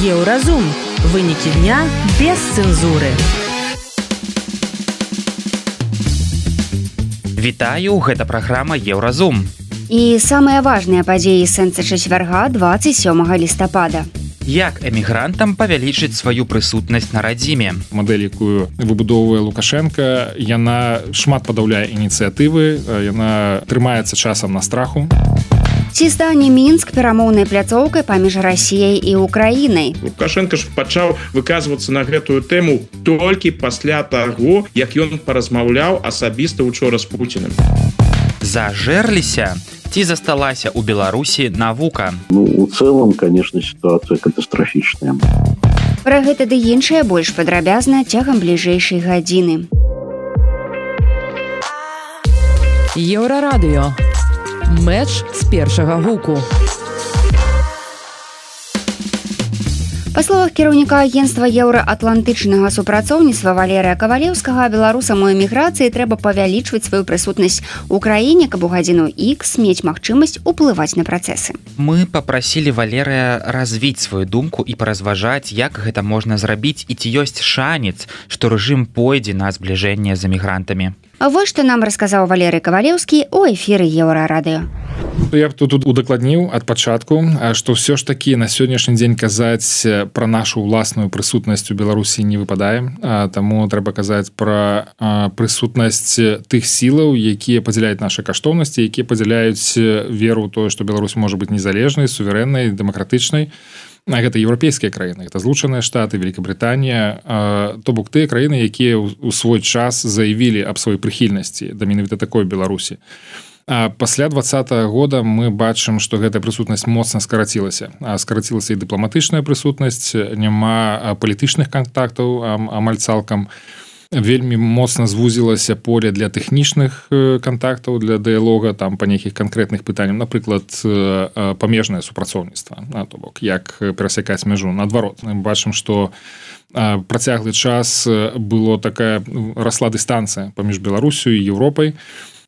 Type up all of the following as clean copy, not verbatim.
Еўразум. Вынікі дня без цэнзуры. Вітаю, гэта праграма Еўразум. І самыя важныя падзеі сэнса чацвярга 27 лістапада. Як эмігрантам павялічыць сваю прысутнасць на радзіме? Мадэль, якую выбудоўвае Лукашенка, яна шмат падаўляе ініцыятывы, яна трымаецца часам на страху. Ці стане Мінск перамоўнай пляцоўкай паміж Расіяй і Украінай? Лукашенко ж пачаў выказвацца на гэтую тэму толькі пасля таго, як ён паразмаўляў асабіста учора з Пуціним. Зажэрліся? Ці засталася ў Беларусі навука? У цэлым, конечно, сітуацыя катастрафічная. Пра гэта ды іншае больш падрабязна цягам бліжэйшай гадзіны. Еўрарадыё. Мэч з першага гуку. Па словах кіраўніка агенцтва еўраатлантычнага супрацоўніцтва Валерыя Кавалеўскага, беларусам у эміграцыі трэба павялічваць сваю прысутнасць у краіне, каб у гадзіну Х мець магчымасць уплываць на працэсы. Мы папрасілі Валерыя развіць сваю думку і паразважаць, як гэта можна зрабіць і ці ёсць шанец, што рэжым пойдзе на збліжэнне з эмігрантамі. Вось што нам расказаў Валерый Кавалеўскі у эфіры Еўрарадыё. Я б тут удакладніў ад пачатку, што ўсё ж такі на сённяшні дзень казаць пра нашу ўласную прысутнасць у Беларусі не выпадае, таму трэба казаць пра прысутнасць тых сілаў, якія падзяляюць нашы каштоўнасці, якія падзяляюць веру ў тое, што Беларусь можа быць незалежнай, суверэннай, дэмакратычнай. Гэта еўрапейскія краіны, гэта Злучаныя Штаты, Великабрытанія, то бок тыя краіны, якія ў свой час заявілі аб сваёй прыхільнасці да менавіта такой Беларусі. Пасля 2020 года мы бачым, што гэтая прысутнасць моцна скарацілася. Скарацілася і дыпламатычная прысутнасць, няма палітычных кантактаў амаль цалкам. Вельмі моцна звузілася поле для тэхнічных кантактаў, для дыялога там па нейкіх канкрэтных пытаннях, напрыклад, памежнае супрацоўніцтва, то бок як перасякаць мяжу. Наадварот, мы бачым, што працяглы час было такая расла дыстанцыя паміж Беларусю і Еўропай.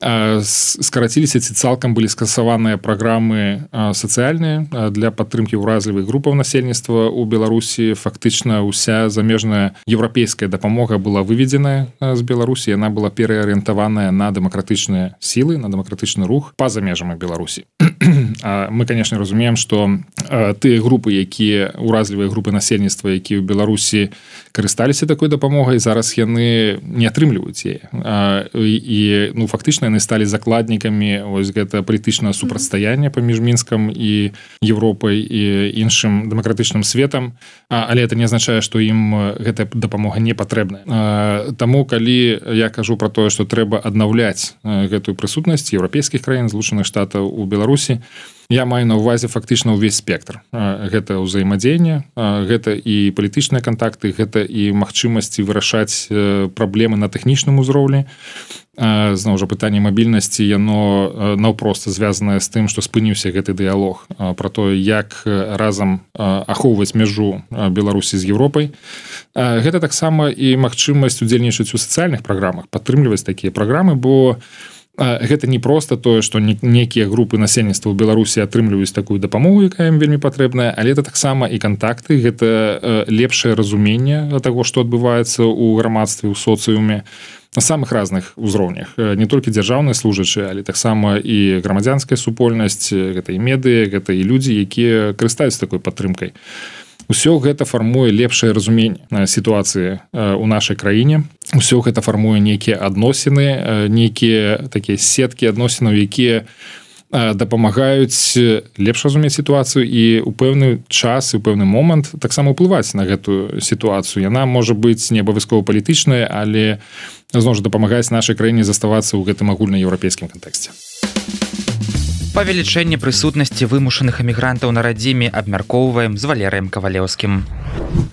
Скараціліся ці цалкам былі скасаваныя праграмы сацыяльныя для падтрымкі ўразлівых групаў насельніцтва ў Беларусі. Фактычна ўся замежная еўрапейская дапамога была выведзеная з Беларусі, яна была пераарыентаваная на дэмакратычныя сілы, на дэмакратычны рух па-за межамі Беларусі. Мы, канешне, разумеем, што тыя групы, якія ўразлівыя групы насельніцтва, якія ў Беларусі карысталіся такой дапамогай, зараз яны не атрымліваюць яе. І фактычна яны сталі закладнікамі ось гэта палітычнае супрацьстаяння паміж Мінскам і Еўропай і іншым дэмакратычным светам, але это не азначае, што ім гэтая дапамога не патрэбная. Таму, калі я кажу пра тое, што трэба аднаўляць гэтую прысутнасць еўрапейскіх краін, Злучаных Штатаў у Беларусі, я маю на ўвазе фактычна ўвесь спектр. Гэта ўзаемадзеянне, гэта і палітычныя кантакты, гэта і магчымасці вырашаць праблемы на тэхнічным узроўні. Зноў жа, пытанне мабільнасці, яно наўпрост звязанае з тым, што спыніўся гэты дыялог пра тое, як разам ахоўваць мяжу Беларусі з Еўропай. Гэта таксама і магчымасць удзельнічаць у сацыяльных праграмах, падтрымліваць такія праграмы, бо гэта не проста тое, што некія групы насельніцтва ў Беларусі атрымліваюць такую дапамогу, якая ім вельмі патрэбная, але это таксама і кантакты, гэта лепшае разуменне таго, што адбываецца ў грамадстве, ў соцыуме на самых разных узроўнях. Не толькі дзяржаўныя служачыя, але таксама і грамадзянская супольнасць, гэта і медыя, гэта і людзі, якія карыстаюцца такой падтрымкай. Усё гэта фармуе лепшае разуменне сітуацыі ў нашай краіне. Усё гэта фармуе нейкія адносіны, нейкія такія сеткі адносінаў, якія дапамагаюць лепш разумець сітуацыю і ў пэўны час і ў пэўны момант таксама ўплываць на гэтую сітуацыю. Яна можа быць не абавязкова палітычная, але зноў жа дапамагаць нашай краіне заставацца ў гэтым агульнаеўрапейскім кантэксце. Павелічэнне прысутнасці вымушаных эмігрантаў на радзіме абмяркоўваем з Валерыем Кавалеўскім.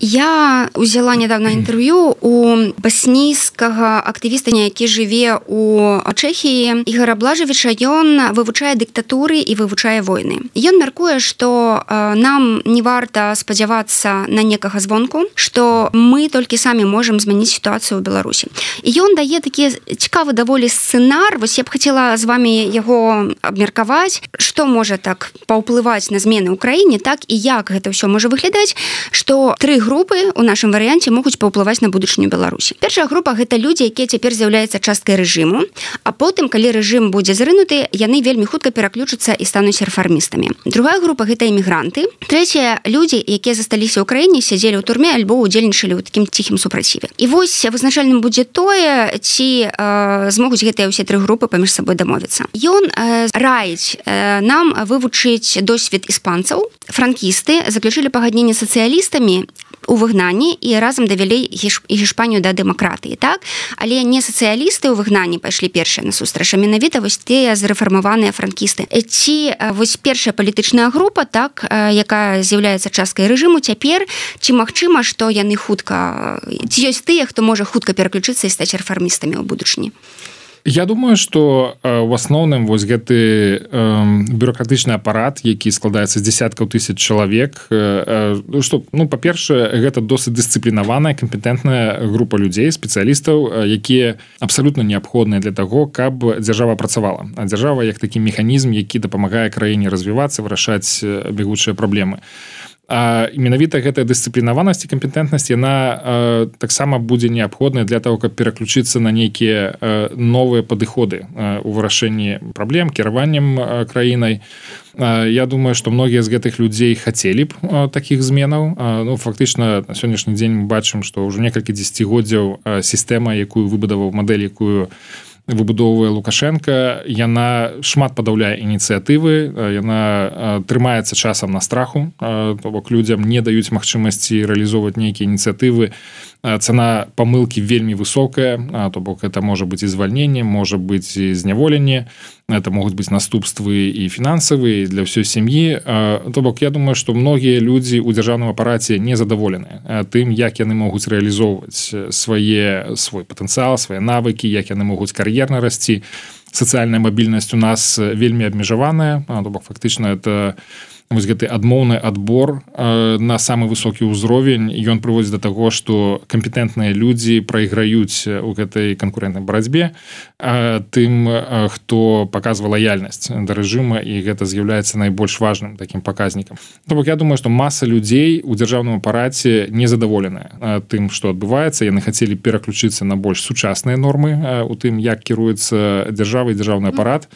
Я узяла недавно інтэрв'ю у баснійскага актывіста, які жыве у Чэхіі, Ігора Блажевіча. Ён вывучае дыктатуры і вывучае войны. Ён мяркуе, што нам не варта спадзявацца на некага звонку, што мы толькі самі можам змяніць сітуацыю ў Беларусі. І ён дае такі цікавы даволі сцэнар. Вось я б хацела з вамі яго абмеркаваць, што можа так паўплываць на змены ў краіне, так і як гэта ўсё можа выглядаць, што 3 групы у нашым варыянце могуць паўплываць на будучыню Беларусі. Першая група гэта людзі, якія цяпер з'яўляюцца часткай рэжыму, а потым, калі рэжым будзе зрынуты, яны вельмі хутка пераключацца і стануць рэформістамі. Другая група гэта эмігранты. Трэцяя людзі, якія засталіся ў краіне, сядзелі ў турме альбо ўдзельнічалі ў такім ціхім супраціве. І вось вызначальным будзе тое, ці змогуць гэтыя ўсе 3 групы паміж сабой дамовіцца. Ён раіць нам вывучыць досвед іспанцаў. Франкісты заключылі пагадненне з сацыялістамі у выгнанні і разам давялі Гішпанію да дэмакратыі, так? Але не сацыялісты ў выгнанні пайшлі першыя насустрач, а менавіта вось тыя зрэфармаваныя франкісты. Ці вось першая палітычная група, так, якая з'яўляецца часткай рэжыму цяпер, ці магчыма, што яны хутка, ці ёсць тыя, хто можа хутка пераключыцца і стаць рэфармістамі ў будучыні? Я думаю, што в асноўным вось гэты бюрократычны апарат, які складаецца з дзесяткаў тысяч чалавек, што, па-першае, гэта досыць дысцыплінаваная, кампетэнтная група людзей, спецыялістаў, якія абсалютна неабходныя для таго, каб дзяржава працавала. А дзяржава як такі механізм, які дапамагае краіне развівацца, вырашаць бягучыя праблемы. А менавіта гэтая дысцыплінаванасць і кампетэнтнасць, яна таксама будзе неабходная для того, каб пераключыцца на нейкія новыя падыходы у вырашэнні праблем, кіраваннем краінай. Я думаю, што многія з гэтых людзей хацелі б такіх зменаў. Фактычна, на сённяшні дзень мы бачым, што ўжо некалькі дзесяцігоддзяў сістэма, якую выбудаваў, мадэль, якую выбудоўвае Лукашенко, яна шмат падаўляе ініцыятывы, яна трымаецца часам на страху, то бок людзям не даюць магчымасці рэалізоўваць нейкія ініцыятывы. Цана памылкі вельмі высокая, то бок это можа быць і звальненне, можа быць і зняволенне, это могуць быць наступствы і фінансавыя для ўсёй сям'і. То бок я думаю, што многія людзі ў дзяржаўным апараце незадаволены тым, як яны могуць рэалізоўваць свой патэнцыял, свае навыкі, як яны могуць кар'ерна расці. Сацыяльная мабільнасць у нас вельмі абмежаваная, то бок фактычна это вось гэты адмоўны адбор на самы высокі ўзровень, ён прыводзіць да таго, што кампетэнтныя людзі прайграюць у гэтай канкурэнтнай барацьбе тым, хто паказвае лаяльнасць да рэжыма, і гэта з'яўляецца найбольш важным такім паказнікам. То бок я думаю, што маса людзей у дзяржаўным апараце незадаволеная тым, што адбываецца. Яны хацелі пераключыцца на больш сучасныя нормы у тым, як кіруецца дзяржава і дзяржаўны апарат.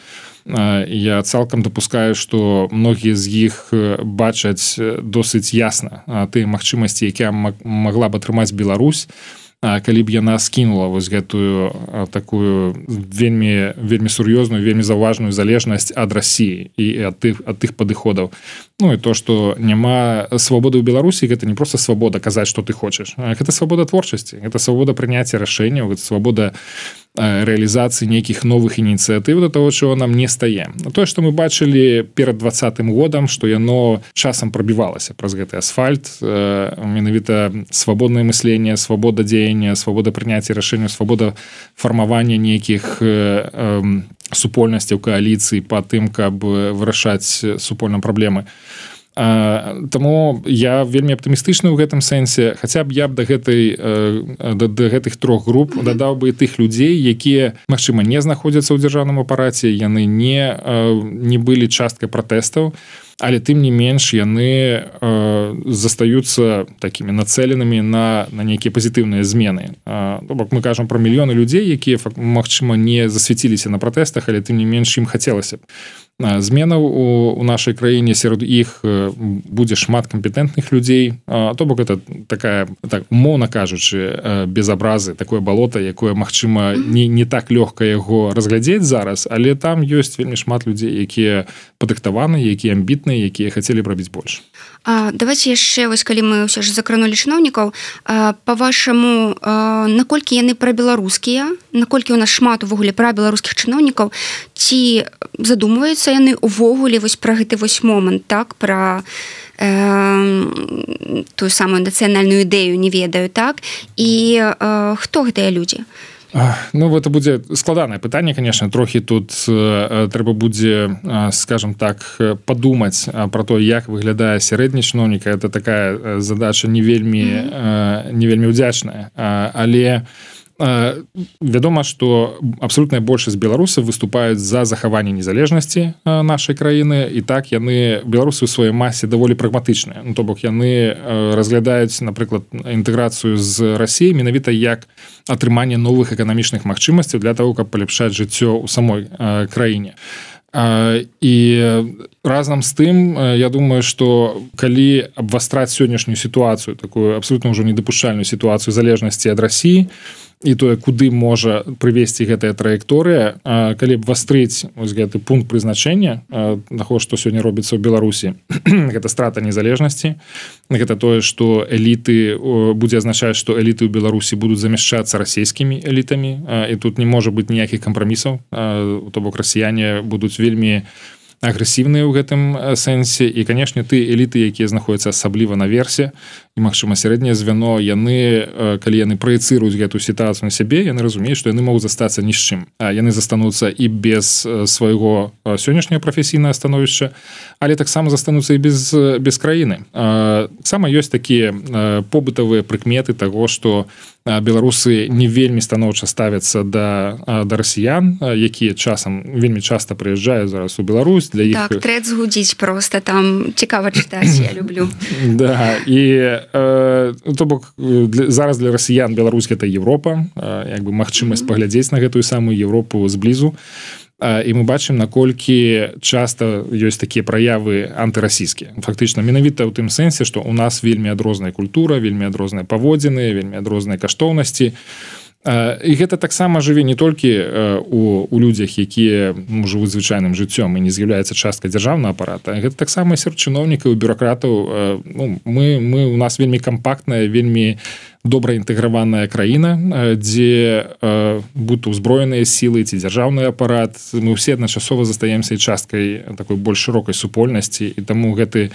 Я цалкам дапускаю, што многія з іх бачаць досыць ясна тыя магчымасці, якія магла б атрымаць Беларусь, калі б яна скінула вось гэтую такую вельмі сур'ёзную, вельмі заўважную залежнасць ад Расіі і ад тых падыходаў. І то, што няма свабоды ў Беларусі, гэта не проста свабода казаць, што ты хочаш. Гэта свабода творчасці, гэта свабода прыняцця рашэнняў, гэта свабода рэалізацыі нейкіх новых ініцыятыў да таго, чаго нам не стае. Тое, што мы бачылі перад 2020 годам, што яно часам прабівалася праз гэты асфальт, менавіта свабоднае мысленне, свабода дзеяння, свабода прыняцця рашэнняў, свабода фармавання нейкіх супольнасцяў, кааліцый па тым, каб вырашаць супольныя праблемы. Таму я вельмі аптымістычны ў гэтым сэнсе, хаця б я б да гэтых 3 груп дадаў бы і тых людзей, якія, магчыма, не знаходзяцца ў дзяржаўным апараце, яны не былі часткай пратэстаў, але тым не менш яны застаюцца такімі нацэленымі на нейкія пазітыўныя змены. То бок мы кажам пра мільёны людзей, якія, магчыма, не засвяціліся на пратэстах, але тым не менш ім хацелася б зменаў у нашай краіне. Сярод іх будзе шмат кампетэнтных людзей. То бок это такая, умоўна кажучы, без абразы, такое балота, якое, магчыма, не так лёгка яго разглядзець зараз, але там ёсць вельмі шмат людзей, якія падрыхтаваны, якія амбітныя, якія хацелі б рабіць больш. Давайте яшчэ, вось калі мы ўсё ж закранулі чыноўнікаў, па-вашаму, наколькі яны прабеларускія, наколькі у нас шмат увогуле прабеларускіх чыноўнікаў, ці задумваюцца яны увогуле вось пра гэты вось момант, так, пра тую самую нацыянальную ідэю не ведаю, так, і хто гэтыя людзі? Ну, это будзе складанае пытанне, конечно, трохі тут трэба будзе, скажем так, падумаць пра то, як выглядае сярэдні чыноўнік. Это такая задача не вельмі ўдзячная, але вядома, што абсалютная большасць беларусаў выступаюць за захаванне незалежнасці нашай краіны, і так беларусы ў сваёй масе даволі прагматычныя. Ну, то бок яны разглядаюць, напрыклад, інтэграцыю з Расіяй менавіта як атрыманне новых эканамічных магчымасцяў для того, каб паляпшаць жыццё ў самой краіне. І разам з тым, я думаю, што калі абвастраць сённяшнюю сітуацыю, такую абсалютна ўжо недапушчальную сітуацыю залежнасці ад Расіі, і тое, куды можа прывесці гэтая траекторыя, калі б вастрыць вось гэты пункт прызначэння таго, што сёння робіцца ў Беларусі, гэта страта незалежнасці, гэта тое, што эліты будзе азначаць, што эліты ў Беларусі будуць замяшчацца расійскімі элітамі, і тут не можа быць ніякіх кампрамісаў, то бок расіяне будуць вельмі агрэсіўныя ў гэтым сэнсе, і, канешне, ты эліты, якія знаходзяцца асабліва наверсе, і, магчыма, сярэдняе звяно, калі яны праецыруюць гэтую сітуацыю на сябе, яны разумеюць, што яны могуць застацца ні з чым. Яны застануцца і без свайго сённяшняга прафесійнага становішча, але таксама застануцца і без краіны. Таксама ёсць такія побытавыя прыкметы таго, што беларусы не вельмі станоўча ставяцца да расіян, якія часам вельмі часта прыязджаюць зараз у Беларусь. Для іх... Так, трэц гудзіць просто, там цікава чытаць, я люблю. Да, і то бок зараз для расіян Беларусь гэта Европа, як бы магчымасць паглядзець на гэтую самую Европу зблізу. І мы бачым, наколькі часта ёсць такія праявы антырасійскія. Фактычна, менавіта ў тым сэнсе, што ў нас вельмі адрозная культура, вельмі адрозныя паводзіны, вельмі адрозныя каштоўнасці. І гэта таксама жыве не толькі у людзях, якія жывуць звычайным жыццём і не з'яўляецца часткай дзяржаўнага апарата. Гэта таксама сярод чыноўнікаў і бюракратаў. У нас вельмі кампактная, вельмі добра інтэграваная краіна, дзе будь узброеныя сілы ці дзяржаўны апарат, мы ўсе адначасова застаемся і часткай такой больш шырокай супольнасці, і таму гэты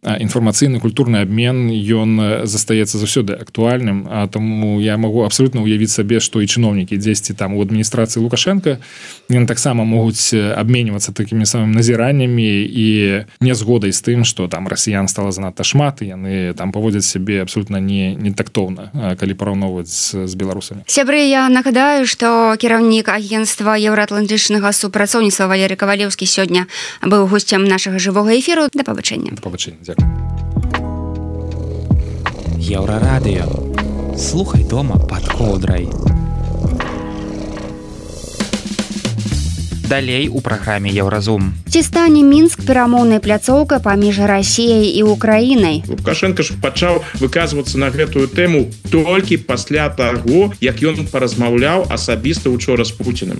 інфармацыйны культурны абмен, ён застаецца заўсёды актуальным, а таму я магу абсалютна ўявіць сабе, што і чыноўнікі дзесьці там у адміністрацыі Лукашенка, яны таксама могуць абменьвацца такімі самымі назіраннямі і нязгодай з тым, што там расіян стала занадта шмат, і яны там паводзяць сябе абсалютна не тактоўна, калі параўноўваць з беларусамі. Сябры, я нагадаю, што кіраўнік агенцтва еўраатлантычнага супрацоўніцтва Валерый Кавалеўскі сёння быў госцем нашага жывога эфіру. Да пабачэння. Да пабачэння. Еўрарадыё. Слухай дома пад коўдрай. Далей у праграме Еўразум. Ці стане Мінск перамоўнай пляцоўкай паміж Расіяй і Украінай? Лукашенко ж пачаў выказвацца на гэтую тэму толькі пасля таго, як ён паразмаўляў асабіста учора з Пуцінам.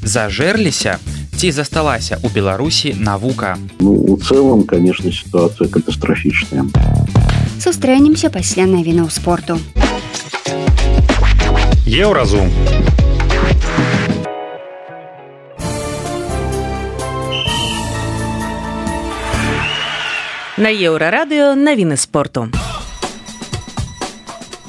Зажэрліся ці засталася ў Беларусі навука? У цэлым, конечно, ситуация катастрофичная. Сустрэнемся пасля навінаў спорту. Еўразум. На Еўрарадыё навіны спорту.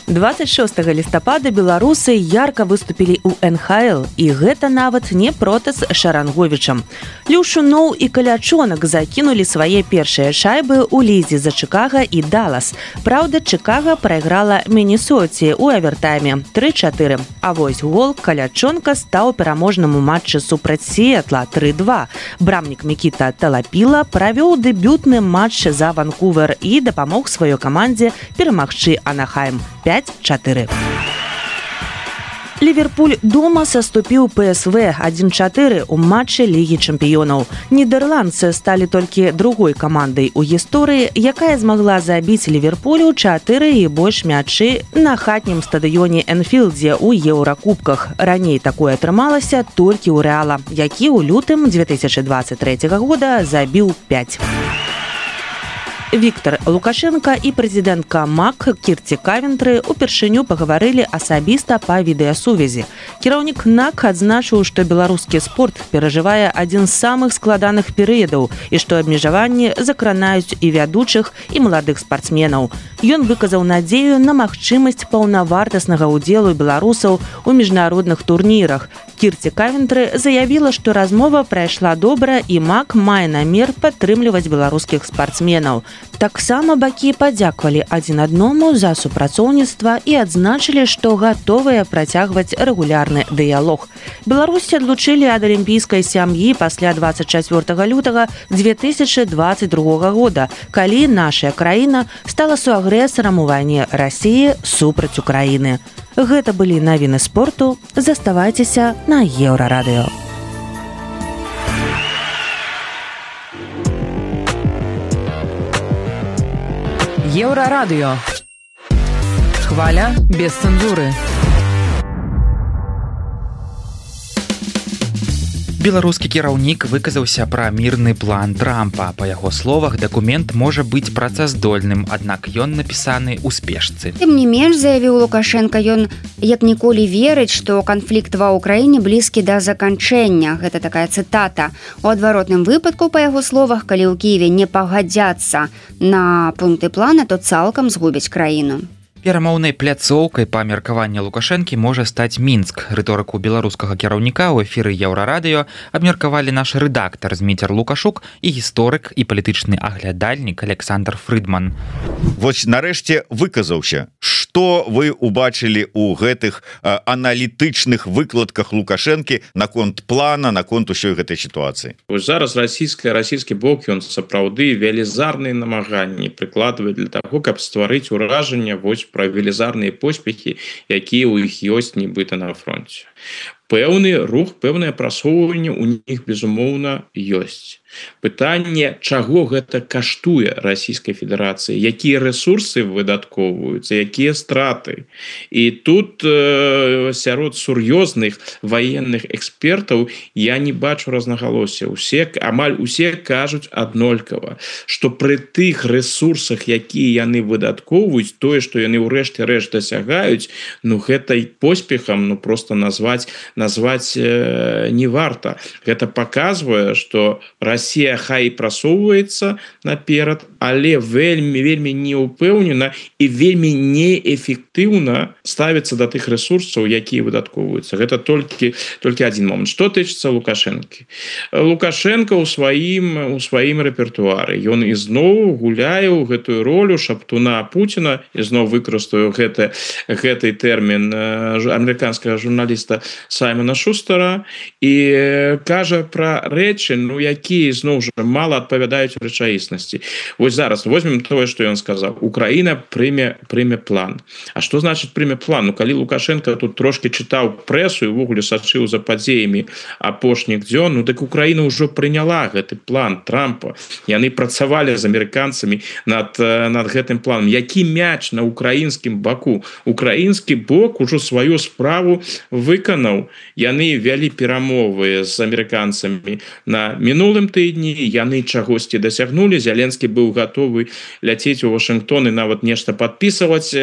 26 лістапада беларусы ярка выступілі ў НХЛ, і гэта нават не проти з Шаранговічам. Люшуноў і Калячонак закінулі свае першыя шайбы ў лізе за Чикаго і Даллас. Праўда, Чикаго прайграла Міннесоце ў авертайме 3-4. А вось гол Калячонка стаў пераможным у матчы супраць Сіэтла 3-2. Брамнік Мікіта Талапіла правёў дэбютны матч за Ванкувер і дапамог сваёй камандзе перамагчы Анахайм 5-4. Ливерпуль дома саступіў ПСВ 1-4 у матчы Лігі чэмпіёнаў. Нідерландцы сталі толькі другой камандай у гісторыі, якая змагла забіць Ливерпулю 4 і больш мячы на хатнім стадыёне Энфілдзе ў Еўракубках. Раней такое атрымалася толькі ў Рэала, які ў лютым 2023 года забіў 5. Віктор Лукашенко і прэзідэнтка МАК Кірці Кавентры упершыню пагаварылі асабіста па відэасувязі. Кіраўнік НАК адзначыў, што беларускі спорт перажывае адзін з самых складаных перыядаў і што абмежаванні закранаюць і вядучых, і маладых спартсменаў. Ён выказаў надзею на магчымасць паўнавартаснага ўдзелу беларусаў у міжнародных турнірах. Кірці Кавентры заявіла, што размова прайшла добра і МАК мае намер падтрымліваць беларускіх спартсменаў. Таксама бакі падзякавалі адзін аднаму за супрацоўніцтва і адзначылі, што гатовыя працягваць рэгулярны дыялог. Беларусь адлучылі ад алімпійскай сям'і пасля 24 лютага 2022 года, калі наша краіна стала суагрэсарам у вайне Расіі супраць Украіны. Гэта былі навіны спорту. Заставайцеся на Еўрарадыё. Еўрарадыё. Хваля без цэнзуры. Беларускі кіраўнік выказаўся пра мірны план Трампа. Па яго словах, дакумент можа быць працаздольным, аднак ён напісаны ў спешцы. Тым не менш, заявіў Лукашенко, ён як ніколі верыць, што канфлікт ва ўкраіне блізкі да заканчэння. Гэта такая цытата. У адваротным выпадку, па яго словах, калі ў Кіеве не пагадзяцца на пункты плана, то цалкам згубяць краіну. Перамоўнай пляцоўкай па меркаванні Лукашэнкі можа стаць Мінск. Рыторыку беларускага кіраўніка ў эфіры Еўрарадыё абмеркавалі наш рэдактар Зміцер Лукашук і гісторык і палітычны аглядальнік Александр Фрыдман. Вось нарэшце выказаўся. Што вы убачылі ў гэтых аналітычных выкладках Лукашэнкі наконт плана, наконт усёй гэтай сітуацыі? Вось зараз расійскі бок, ён сапраўды велізарныя намаганні прыкладвае для таго, каб стварыць уражанне вось пра велізарныя поспехі, якія ў іх ёсць нібыта на фронце. Пэўны рух, пэўнае прасоўванне ў іх, безумоўна, ёсць. Пытанне, чаго гэта каштуе Расійскай Федэрацыі, якія рэсурсы выдаткоўваюцца, якія страты. І тут сярод сур'ёзных ваенных экспертаў я не бачу рознагалосся. Амаль усе кажуць аднолькава, што пры тых рэсурсах, якія яны выдаткоўваюць, тое, што яны ўрэшце рэшт дасягаюць, гэтай поспехам просто назваць не варта. Гэта паказвае, што Расія хай прасоўваецца наперад, але вельмі неўпэўнена і вельмі неэфектыўна ставіцца да тых рэсурсаў, якія выдаткоўваюцца. Гэта толькі адзін момант. Што тычыцца Лукашэнкі? Лукашенко ў сваім рэпертуары. Ён ізноў гуляе ў гэтую ролю шаптуна Пуціна, ізноў выкарыстаю гэты тэрмін амерыканскага журналіста Саймона Шустера, і кажа пра рэчы, якія зноў жа мала адпавядаюць рэчаіснасці. Вось зараз возьмем тое, што ён сказаў. Украіна прыме план. А што значыць прыме план? Калі Лукашенко тут трошки чытаў прэсу і ўвогуле сачыў за падзеямі апошніх дзён, дык Украіна ўжо прыняла гэты план Трампа. Яны працавалі з амерыканцамі над гэтым планам. Які мяч на украінскім баку? Украінскі бок ужо сваю справу выканаў. Яны вялі перамовы з амерыканцамі на мінулым тыдні, яны чагосьці дасягнулі. Зеленскі быў гатовы ляцець у Вашынгтон і нават нешта падпісваць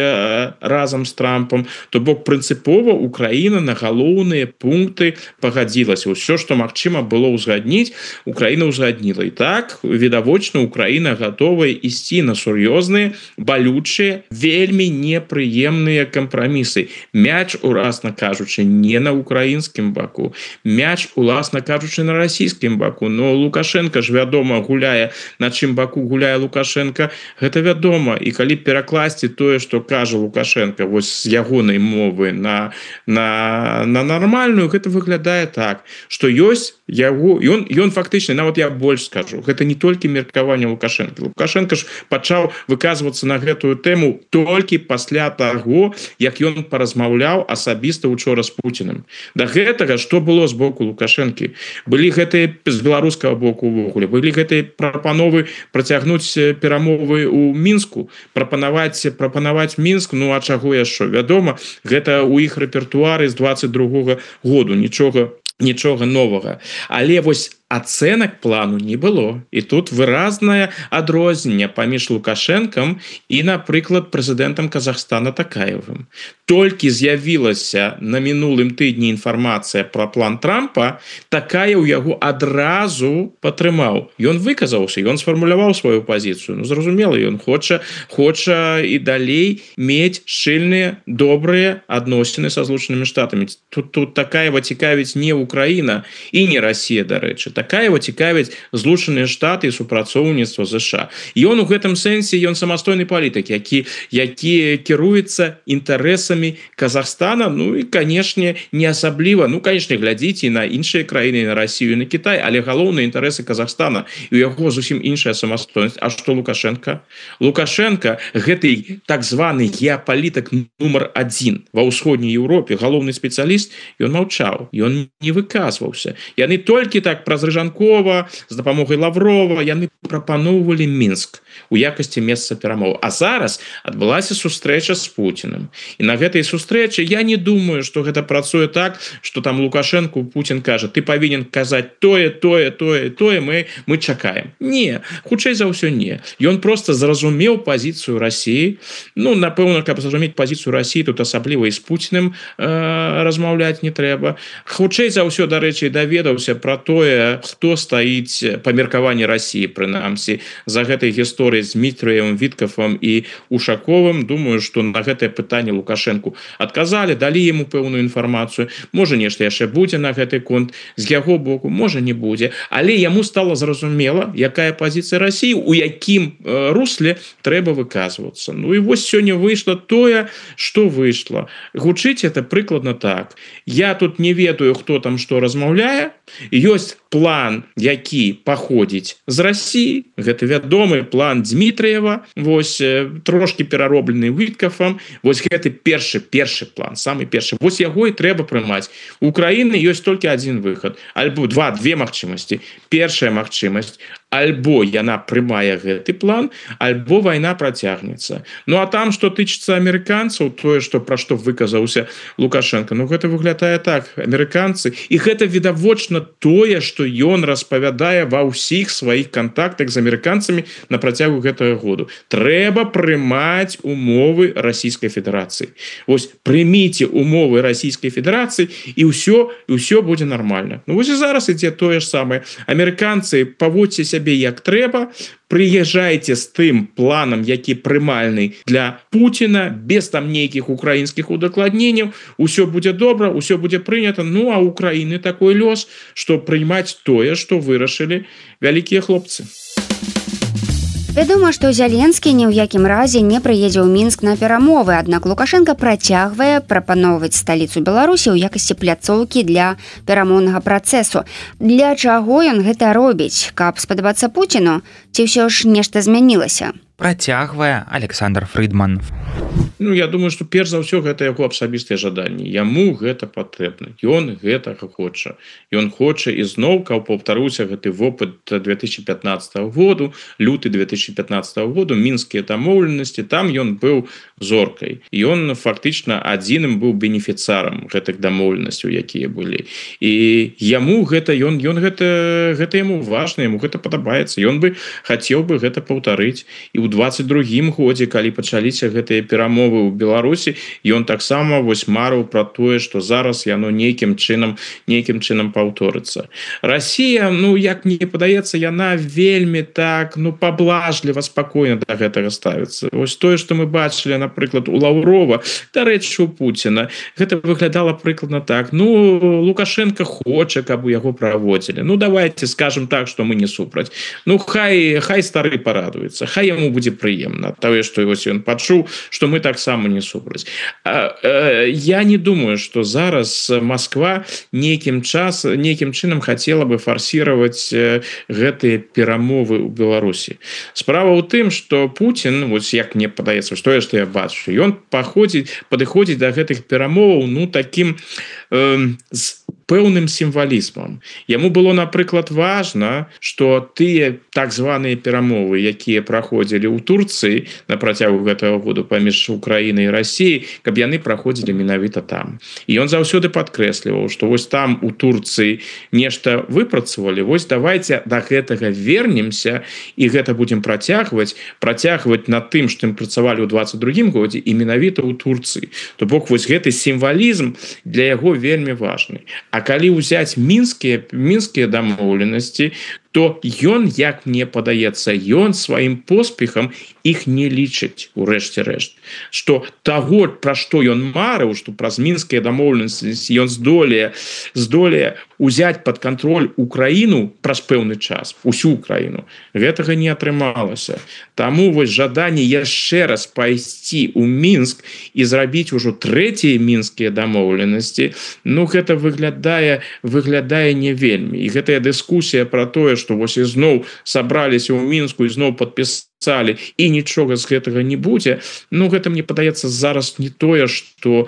разам з Трампам. То бок прынцыпова Украіна на галоўныя пункты пагадзілася. Усё, што магчыма было ўзгадніць, Украіна ўзгадніла. І так, відавочна, Украіна гатовая ісці на сур'ёзныя, балючыя, вельмі непрыемныя кампрамісы. Мяч, уласна кажучы, не на украінскім баку. Мяч, уласна кажучы, на расійскім баку. Но Лукашенко ж, вядома, гуляе, на чым баку гуляе Лукашенко, гэта вядома. І калі перакласці тое, што кажа Лукашенко вось з ягонай мовы на нармальную, гэта выглядае так, што ёсць яго, ён фактычна, нават я больш скажу, гэта не толькі меркаванне Лукашенко. Лукашенко ж пачаў выказвацца на гэтую тэму толькі пасля таго, як ён паразмаўляў асабіста учора з Пуціным. Да гэтага, што было з боку Лукашэнкі? Былі гэтыя з беларускага боку ўвогуле, былі гэтыя прапановы працягнуць перамовы ў Мінску, прапанаваць Мінск, а чаго яшчэ? Вядома, гэта ў іх рэпертуары з 22-го году, нічога новага. Але вось ацэнак плану не было. І тут выразнае адрозненне паміж Лукашэнкам і, напрыклад, прэзідэнтам Казахстана Такаевым. Толькі з'явілася на мінулым тыдні інфармацыя пра план Трампа, Такаев яго адразу падтрымаў. Ён выказаўся, ён сфармуляваў сваю пазіцыю. Ну, зразумела, ён хоча і далей мець шчыльныя, добрыя адносіны са Злучанымі Штатамі. Тут Такаева цікавіць не Украіна і не Расія, дарэчы. Такаева цікавіць Злучаныя Штаты і супрацоўніцтва США. Ён у гэтым сэнсе, ён самастойны палітык, які кіруецца інтарэсамі Казахстана, ну і, канешне, не асабліва, ну, канешне, глядзіце на іншыя краіны, на Расію, на Кітай, але галоўныя інтарэсы Казахстана, і у яго зусім іншая самастойнасць. А што Лукашенко? Лукашенко, гэты так званы геапалітык нумар 1 ва ўсходняй Еўропе, галоўны спецыяліст, ён маўчаў, ён не выказваўся. Яны толькі так праз Рыжанкова, з дапамогай Лаврова, яны прапаноўвалі Мінск у якасці месца перамоў. А зараз адбылася сустрэча з Пуціным. І на гэтай сустрэчы я не думаю, што гэта працуе так, што там Лукашенку Путін кажа, ты павінен казаць тое, мы чакаем. Не, хутчэй за ўсё не. Ён проста зразумеў пазіцыю Расіі. Ну, напэўна, каб зразумець пазіцыю Расіі, тут асабліва і з Пуціным размаўляць не трэба. Хутчэй за ўсё, дарэчы, даведаўся пра тое, хто стаіць па меркаванні Расіі, прынамсі, за гэтай гісторыяй з Дмітриевым, Віткафам і Ушаковым. Думаю, што на гэтае пытанне Лукашенку адказалі, далі яму пэўную інфармацыю. Можа, нешта яшчэ будзе на гэты конт з яго боку, можа, не будзе. Але яму стала зразумела, якая пазіцыя Расіі, у якім русле трэба выказвацца. Ну і вось сёння выйшла тое, што выйшла. Гучыць это прыкладна так. Я тут не ведаю, хто там што размаўляе. Ёсць план, які паходзіць з Расіі. Гэта вядомы план Дмітриева, вось трошки перароблены Віткафам. Вось гэты першы план, самы першы. Вось яго і трэба прымаць. У Украіны ёсць толькі адзін выхад. Альбо две магчымасці. Першая магчымасць, альбо яна прымае гэты план, альбо вайна працягнецца. Ну а там, што тычыцца амерыканцаў, тое, пра што выказаўся Лукашенко, ну гэта выглядае так. Амерыканцы, і гэта відавочна тое, што ён распавядае ва ўсіх сваіх кантактах з амерыканцамі на працягу гэтага году. Трэба прымаць умовы Расійскай Федэрацыі. Вось прыміце умовы Расійскай Федэрацыі, і ўсё будзе нармальна. Ну вось і зараз ідзе тое ж самае. Амерыканцы, паводзьце сябе як трэба, прыязджайце з тым планам, які прымальны для Пуціна, без там нейкіх украінскіх удакладненняў, усё будзе добра, усё будзе прынята. Ну а Украіны такой лёс, што прыймаць тое, што вырашылі вялікія хлопцы. Вядома, што Зяленскі ні ў якім разе не прыедзе ў Мінск на перамовы, аднак Лукашенко працягвае прапаноўваць сталіцу Беларусі ў якасці пляцоўкі для перамоўнага працэсу. Для чаго ён гэта робіць? Каб спадабацца Пуціну? Ці ўсё ж нешта змянілася? Працягвае Александр Фридман. Ну, я думаю, што перш за ўсё гэта яго асабістыя жаданні. Яму гэта патрэбна. Ён гэтага хоча. Ён хоча ізноў, каб паўтаруўся гэты вопыт 2015 году, люты 2015 году, мінскія дамоўленасці, там ён быў зоркай. Ён фактычна адзіным быў бенефіцарам гэтых дамоўленасцяў, якія былі. І яму гэта, ён гэта яму важна, яму гэта падабаецца. Ён бы хацеў бы гэта паўтарыць. І ў 22-м годзе, калі пачаліся гэтыя перамовы ў Беларусі, ён таксама вось марыў пра тое, што зараз яно нейкім чынам паўторыцца. Расія, ну, як мне падаецца, яна вельмі так, ну, паблажліва, спакойна да гэтага ставіцца. Вось тое, што мы бачылі, напрыклад, у Лаўрова, дарэчы, у Пуціна, гэта выглядала прыкладна так. Ну, Лукашенко хоча, каб у яго праводзілі. Ну, давайте скажем так, што мы не супраць. Ну, хай стары парадуецца, хай яму будзе прыемна. Тое, што вось ён пачуў, што мы таксама не супраць. Я не думаю, што зараз Москва нейкім чынам хацела бы фарсіраваць гэтыя перамовы ў Беларусі. Справа ў тым, што Путін, вось як мне падаецца, што я бачу, ён падыходзіць да гэтых перамоваў, ну, такім з пэўным сімвалізмам. Яму было, напрыклад, важна, што тыя так званыя перамовы, якія праходзілі ў Турцыі на працягу гэтага году паміж Украінай Украіны і России, каб яны праходзілі менавіта там. І ён заўсёды падкрэсліваў, што вось там у Турцыі нешта выпрацавалі, вось давайте да гэтага вернемся і гэта будем працягваць над тым, што ім працавалі ў 22 годзе і менавіта ў Турцыі. То бок вось гэты сімвалізм для яго вельмі важны. А калі ўзяць мінскія дамоўленасці, то ён, як мне падаецца, ён сваім поспехам іх не лічыць у рэшце рэшт. Што таго, пра што ён марыў, што праз мінскія дамоўленасці ён здолее узяць пад кантроль Украіну праз пэўны час, усю Украіну, гэтага не атрымалася. Таму вось жаданне яшчэ раз пайсці ў Мінск і зрабіць ужо трэція мінскія дамоўленасці, ну гэта выглядае не вельмі. І гэтая дыскусія пра тое, што вось ізноў сабраліся ў Мінску і зноў падпісалі і нічога з гэтага не будзе, ну гэта мне падаецца зараз не тое, што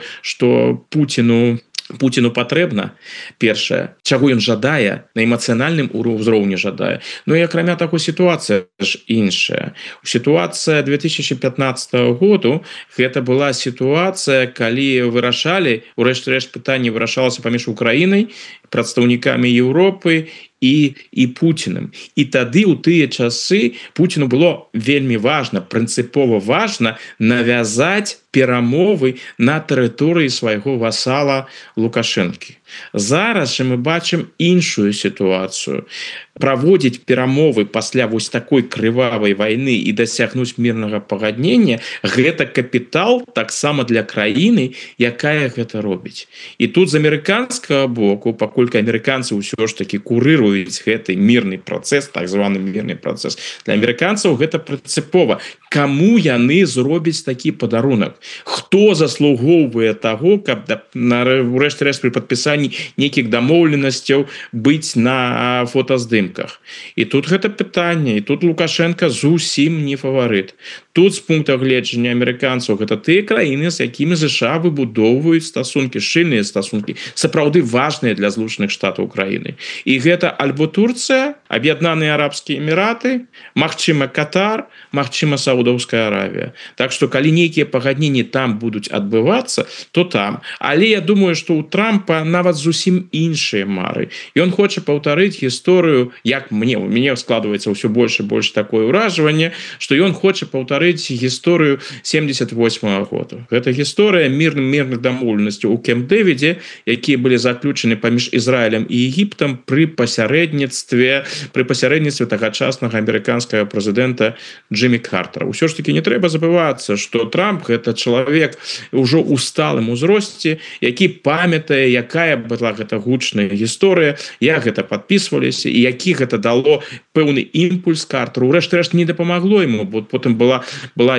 Путіну патрэбна, першае, чаго ён жадае, на эмацыянальным узроўні жадае. Ну і акрамя таго сітуацыя ж іншая. Сітуацыя 2015 году, гэта была сітуацыя, калі вырашалі, урэшце рэшт пытанне вырашалася паміж Украінай, прадстаўнікамі Еўропы і Путіным. І тады ў тыя часы Путіну было вельмі важна, прынцыпова важна навязаць перамовы на тэрыторыі свайго васала Лукашэнкі. Зараз жа мы бачым іншую сітуацыю. Праводзіць перамовы пасля вось такой крывавай вайны і дасягнуць мірнага пагаднення – гэта капітал таксама для краіны, якая гэта робіць. І тут з амерыканскага боку, паколькі амерыканцы ўсё ж такі курыруюць гэты мірны працэс, так званы мірны працэс, для амерыканцаў гэта прынцыпова. Каму яны зробяць такі падарунак? Хто заслугоўвае таго, каб урэшце рэшт пры падпісанні нейкіх дамоўленасцяў быць на фотаздымках? І тут гэта пытанне, і тут Лукашенко зусім не фаварыт. Тут з пункта гледжання амерыканцаў гэта тыя краіны, з якімі США выбудоўваюць стасункі, шчыльныя стасункі, сапраўды важныя для Злучаных Штатаў Украіны. І гэта альбо Турцыя, Аб'яднаныя Арабскія Эміраты, магчыма Катар, магчыма Саудаўская Аравія. Так што калі нейкія пагадненні там будуць адбывацца, то там. Але я думаю, што ў Трампа нават зусім іншыя мары. Ён хоча паўтарыць гісторыю, як у мяне складваецца ўсё больш і больш такое ўражванне, што ён хоча паўтарыць гісторыю 78-го года. Гэта гісторыя мірных дамоўленасцяў у Кемп-Дэвідзе, якія былі заключаны паміж Ізраілем і Егіптам пры пасярэдніцтве тагачаснага амерыканскага прэзідэнта Джиммі Картера. Усё ж таки не трэба забывацца, што Трамп гэта чалавек ужо ў сталым узросце, які памятае, якая была гэта гучная гісторыя, як гэта падпісваліся і які гэта дало пэўны імпульс Картеру. Урэшце рэшт не дапамагло яму, бо потым была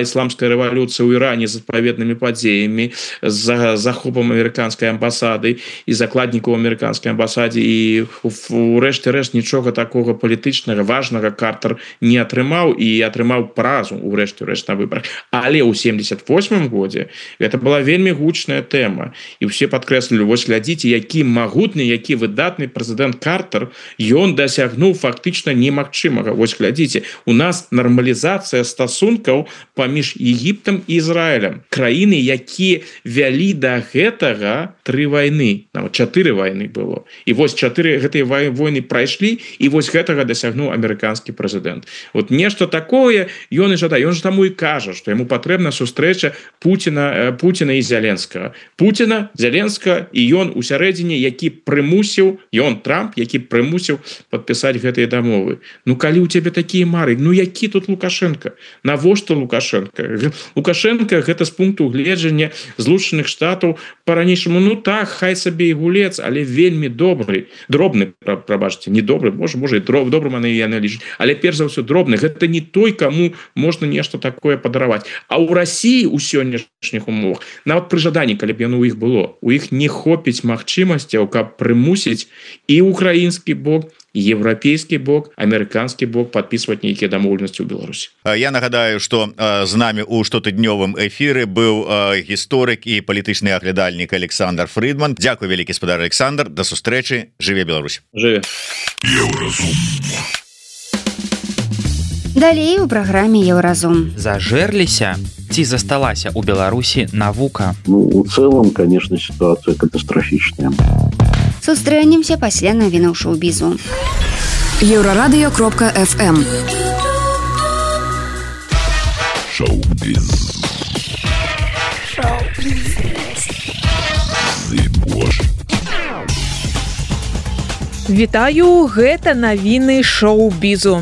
ісламская рэвалюцыя ў Іране з адпаведнымі падзеямі, з захопам амерыканскай амбасады і закладнікаў амерыканскай амбасадзе, і урэшце рэшт нічога такога палітычнага важнага Картер не атрымаў і атрымаў паразу урэшце рэшт на выбарах. Але ў 78-м годзе гэта была вельмі гучная тэма. І ўсе падкрэслілі, вось глядзіце, які магутны, які выдатны прэзідэнт Картер, ён дасягнуў фактычна немагчымага. Вось глядзіце, у нас нармалізацыя стасункаў паміж Егіптам і Ізраілем. Краіны, якія вялі да гэтага 3 вайны, нават 4 вайны было. І вось 4 гэтыя войны прайшлі, і вось гэтага дасягнуў амерыканскі прэзідэнт. Вот нешта такое ён і жадае. Ён ж таму і кажа, што яму патрэбна сустрэча Путіна і Зеленскага. Путіна, Зеленскага, і ён у сярэдзіне, які прымусіў, ён Трамп, які прымусіў падпісаць гэтыя дамовы. Ну калі ў цябе такія мары, ну які тут Лукашенко? Навошта Лукашенко? Лукашенко гэта з пункту гледжання Злучаных Штатаў па-ранейшаму, ну так, хай сабе і гулец, але вельмі дробны, прабачце, не добры, можа і добрым яны лічаць, але перш за ўсё дробны. Гэта не той, каму можна нешта такое падараваць. А ў Расіі ў сённяшніх умовах, нават пры жаданні, калі б яно ў іх было, у іх не хопіць магчымасцяў, каб прымусіць і украінскі бок, еўрапейскі бок, амерыканскі бок падпісваць нейкія дамоўленасці ў Беларусі. Я нагадаю, што з намі ў штотыднёвым эфіры быў гісторык і палітычны аглядальнік Александр Фрыдман. Дзякуй вялікі, спадар Александр, да сустрэчы, жыве Беларусь. Жыве. Далей у праграме Еўразум. Зажэрліся ці засталася ў Беларусі навука? Ну, в целом, конечно, ситуация катастрофичная. Сустрэнемся пасля навінаў шоу-бізу. Еўрарадыё.фм. Шоу-біз. Вітаю, гэта навіны шоу-бізу.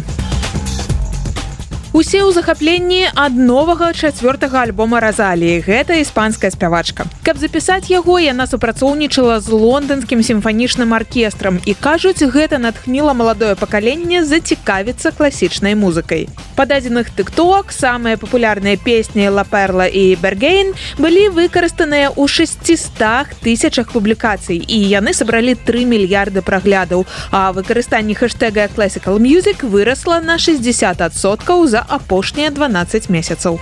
Усе ў захапленні ад новага 4-го альбома Розаліі. Гэта іспанская спявачка. Каб запісаць яго, яна супрацоўнічала з лонданскім сімфанічным аркестрам і, кажуць, гэта натхніла маладое пакаленне зацікавіцца класічнай музыкай. Па дадзеных TikTok самыя папулярныя песні «Ла Перла» і «Бергейн» былі выкарыстаныя ў 600 тысячах публікацый, і яны сабралі 3 мільярды праглядаў, а выкарыстанне хэштэга «Classical Music» вырасла на 60% за апошнія 12 месяцаў.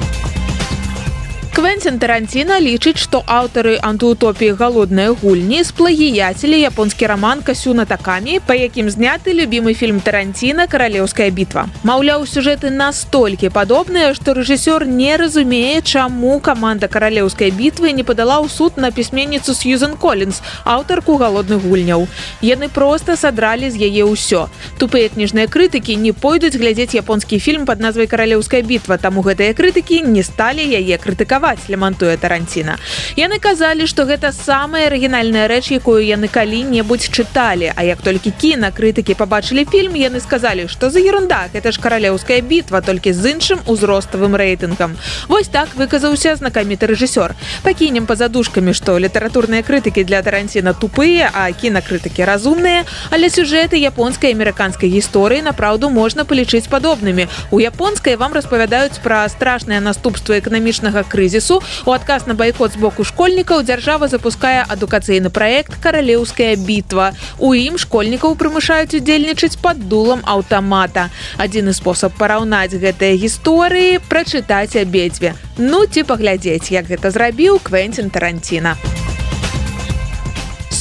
Квентин Тарантино лічыць, што аўтары антыутопіі «Галодныя гульні» сплагіяцілі японскі раман «Касюна Такамі», па якім зняты любімы фільм Тарантино «Каралеўская бітва». Маўляў, сюжэты настолькі падобныя, што рэжысёр не разумее, чаму каманда «Каралеўскай бітвы» не падала ў суд на пісьменніцу Сьюзен Коллінс, аўтарку «Галодных гульняў». Яны проста садралі з яе ўсё. Тупыя кніжныя крытыкі не пойдуць глядзець японскі фільм пад назвай «Каралеўская бітва», таму гэтыя крытыкі не сталі яе крытыкаваць, лямантуе Тарантино. Яны казалі, што гэта самая арыгінальная рэч, якую яны калі-небудзь чыталі, а як толькі кінакрытыкі пабачылі фільм, яны сказалі, што за ерунда, гэта ж «Каралеўская бітва», толькі з іншым узроставым рэйтынгам. Вось так выказаўся знакаміты рэжысёр. Пакінем па задушкамі, што літаратурныя крытыкі для Тарантино тупыя, а кінакрытыкі разумныя, але сюжэты японскай і амерыканскай гісторыі напраўду можна палічыць падобнымі. У японскай вам распавядаюць пра страшныя наступствы эканамічнага крызісу. У адказ на байкот з боку школьнікаў дзяржава запускае адукацыйны праект «Каралеўская бітва». У ім школьнікаў прымушаюць удзельнічаць пад дулам аўтамата. Адзіны спосаб параўнаць гэтыя гісторыі – прачытаць абедзве. Ну ці паглядзець, як гэта зрабіў Квентин Тарантино.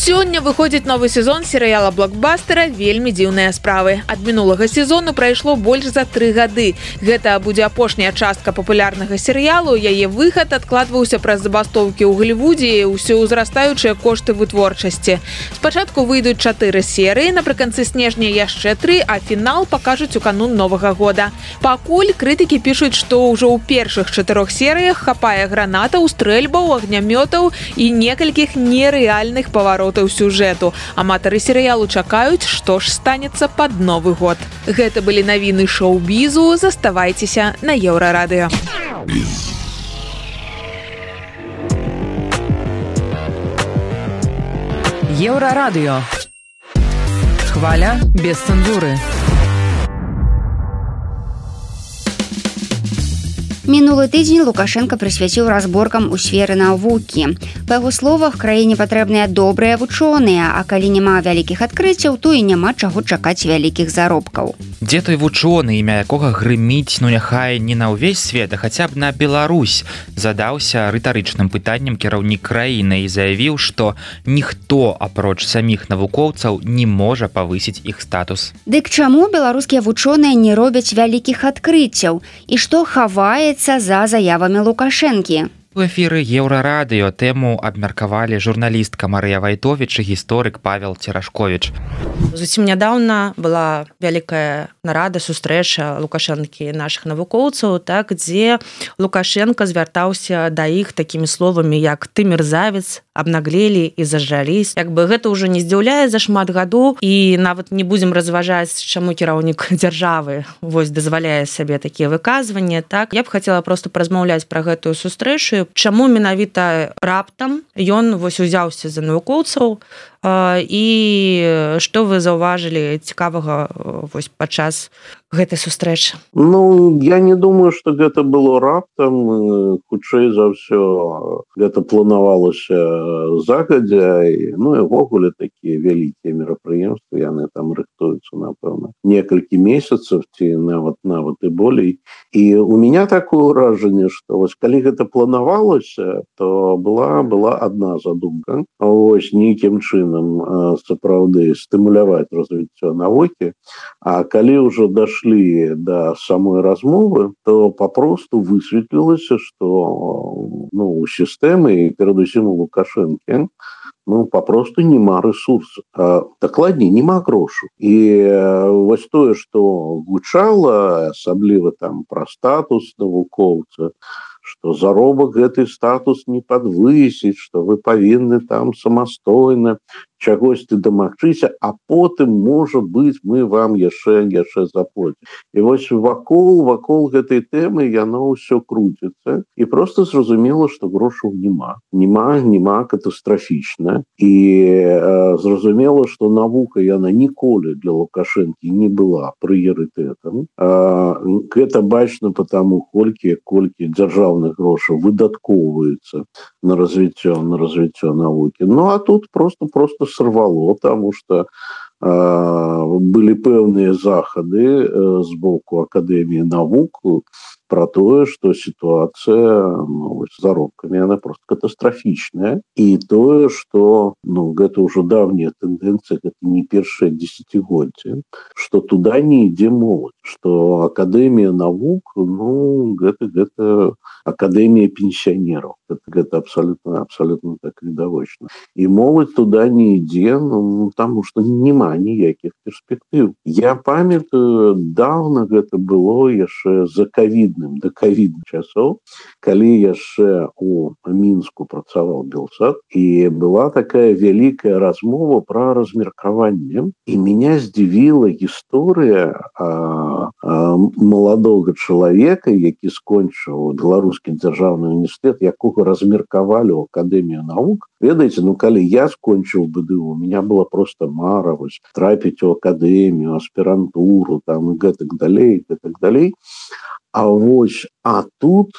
Сёння выходзіць новы сезон серыяла блокбастера «Вельмі дзіўныя справы». Ад мінулага сезону прайшло больш за 3 гады. Гэта будзе апошняя частка папулярнага серыялу. Яе выхад адкладваўся праз забастоўкі ў Галівудзе і ўсёўзрастаючыя кошты вытворчасці. Спачатку выйдуць 4 серыі, напрыканцы снежня яшчэ 3, а фінал пакажуць у канун Новага года. Пакуль крытыкі пішуць, што ўжо ў першых 4 серыях хапае гранатаў, стрэльбаў, агнямётаў і некалькіх нерэальных паваротаў сюжэту. Аматары серыялу чакаюць, што ж станецца пад Новы год. Гэта былі навіны шоу-бізу. Заставайцеся на Еўрарадыё. Еўрарадыё. Хваля без цэнзуры. Мінулы тыдзень Лукашенко прысвяціў разборкам у сферы навукі. Па яго словах, краіне патрэбныя добрыя вучоныя, а калі няма вялікіх адкрыццяў, то і няма чаго чакаць вялікіх заробкаў. Дзе той вучоны, імя якога грыміць, ну няхай не на ўвесь свет, а хаця б на Беларусь, задаўся рытарычным пытаннем кіраўнік краіны і заявіў, што ніхто, апроч саміх навукоўцаў, не можа павысіць іх статус. Дык чаму беларускія вучоныя не робяць вялікіх адкрыццяў? І што хаваецца за заявамі Лукашэнкі? У эфіры Еўрарадыё тэму абмеркавалі журналістка Марыя Вайтовіч і гісторык Павел Церашковіч. Зусім нядаўна была вялікая нарада, сустрэча Лукашэнкі нашых навукоўцаў, так, дзе Лукашенко звяртаўся да іх такімі словамі, як «ты мерзавец», «абнаглелі» і «зажрались». Як бы гэта ўжо не здзіўляе за шмат гадоў, і нават не будзем разважаць, чаму кіраўнік дзяржавы вось дазваляе сабе такія выказванні. Так, я б хацела проста паразмаўляць пра гэтую сустрэчу, чаму менавіта раптам ён вось узяўся за навукоўцаў і што вы заўважылі цікавага вось падчас гэтай сустрэчы? Ну, я не думаю, што гэта было раптам. Хутчэй за ўсё гэта планавалася загадзя. Ну і ўвогуле такія вялікія мерапрыемствы, яны там рыхтуюцца, напэўна, некалькі месяцаў ці нават і болей. І у меня такое ўражанне, што вось калі гэта планавалася, то была адна задумка. Вось нейкім чынам сапраўды стымуляваць развіццё навукі. А калі ўжо дайшло дайшлі да самой размовы, то папросту высветлілася, што у сістэмы і перадусім у Лукашэнкі папросту няма рэсурсу. Дакладней, няма грошу. І вось тое, што гучала, асабліва там пра статус навукоўца, што заробак гэты статус не падвысіць, што вы павінны там самастойна чагосьці дамагчыся, а потым, можа быць, мы вам яшчэ заплатім. І вось вакол гэтай тэмы яно ўсё круціцца. І проста зразумела, што грошаў няма. Няма катастрафічна. І зразумела, што навука яна ніколі для Лукашэнкі не была прыярытэтам. Гэта бачна потому, колькі дзяржаўных грошаў выдаткоўваецца на развіццё навукі. А тут просто сорвало, потому что были пэўныя захады з боку Акадэміі навук про тое, што сітуацыя з заробкамі она просто катастрафічная. І тое, што гэта ўжо давняя тэндэнцыя, гэта не першае дзесяцігоддзе, што туда не ідзе моладзь, што Акадэмія навук, гэта Акадэмія пенсіянераў. Гэта абсолютно так відавочна. І моладзь туда не ідзе, таму што няма ніякіх перспектыў. Я памятаю, даўна гэта было яшчэ да ковідных часоў, калі яшчэ у Мінску працаваў Белсад, і была такая вялікая размова пра размеркаванне. І меня здзівіла гісторыя маладога чалавека, які скончыў Беларускі дзяржаўны універсітэт, якога размеркавалі ў Акадэмію навук. Ведаеце, калі я скончыў БДУ, у меня была просто мара трапіць у Акадэмію, аспірантуру, там, і гэтак далей. А тут